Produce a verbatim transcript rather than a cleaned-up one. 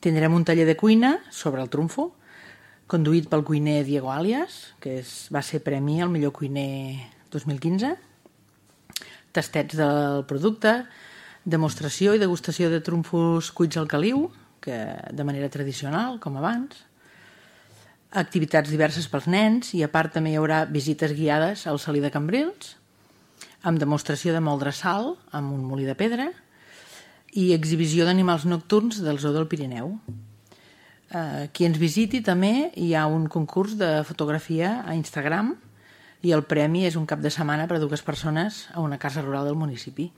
Tindrem un taller de cuina sobre el trumfo, conduït pel cuiner Diego Alias, que és, va ser premi al millor cuiner dos mil quinze. Tastets del producte, demostració i degustació de trumfos cuits al caliu, que de manera tradicional, com abans. Activitats diverses pels nens i a part també hi haurà visites guiades al Salí de Cambrils, amb demostració de moldre sal amb un molí de pedra i exhibició d'animals nocturns del Zoo del Pirineu. Eh, qui ens visiti també hi ha un concurs de fotografia a Instagram i el premi és un cap de setmana per a dues persones a una casa rural del municipi.